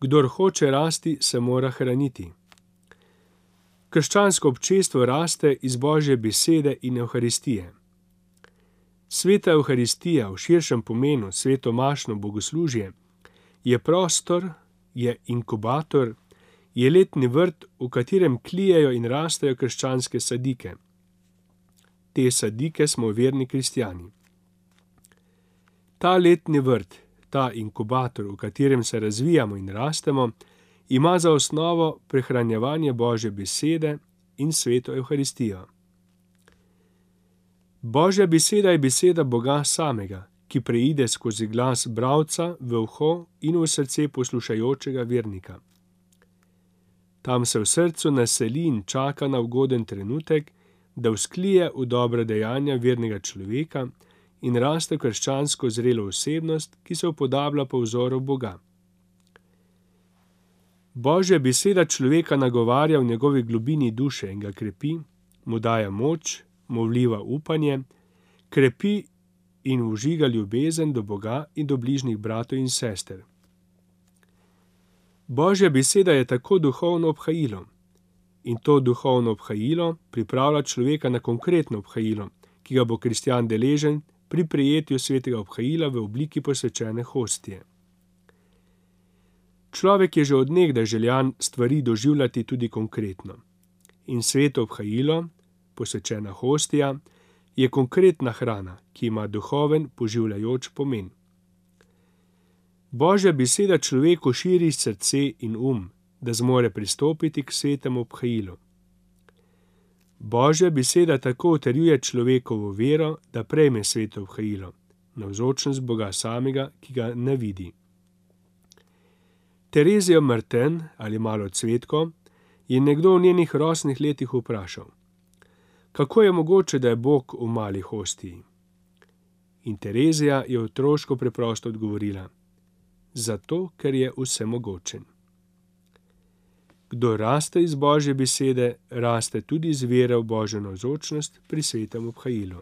Kdor hoče rasti, se mora hraniti. Krščansko občestvo raste iz Božje besede in Evharistije. Sveta Evharistija v širšem pomenu, svetomašno bogoslužje, je prostor, je inkubator, je letni vrt, v katerem tlijejo in rastejo krščanske sadike. Te sadike smo verni kristjani. Ta letni vrt, ta inkubator, v katerem se razvijamo in rastemo, ima za osnovo prehranjevanje Božje besede in sveto Evharistijo. Božja beseda je beseda Boga samega, ki preide skozi glas bralca v uho in v srce poslušajočega vernika. Tam se v srcu naseli in čaka na ugoden trenutek, da vzklije v dobra dejanja vernega človeka in raste krščansko zrelo osebnost, ki se upodablja po vzoru Boga. Božja beseda človeka nagovarja v njegovi globini duše in ga krepi, mu daje moč, mu vliva upanje, krepi in vžiga ljubezen do Boga in do bližnjih bratov in sester. Božja beseda je tako duhovno obhajilo. In to duhovno obhajilo pripravlja človeka na konkretno obhajilo, ki ga bo kristjan deležen pri prejetju svetega obhajila v obliki posvečene hostije. Človek je že od nekdaj željan stvari doživljati tudi konkretno. In sveto obhajilo, posvečena hostija, je konkretna hrana, ki ima duhoven, poživljajoč pomen. Božja beseda človeku širi srce in da zmore pristopiti k svetemu obhajilu. Božja beseda tako utrjuje človekovo vero, da prejme sveto obhajilo, navzočnost Boga samega, ki ga ne vidi. Terezijo Martin, ali malo cvetko, je nekdo v njenih rosnih letih vprašal: kako je mogoče, da je Bog v mali hostiji? In Terezija je otroško preprosto odgovorila: zato, ker je vsemogočen. Kdo raste iz Božje besede, raste tudi z vero v Božjo navzočnost pri svetem obhajilu.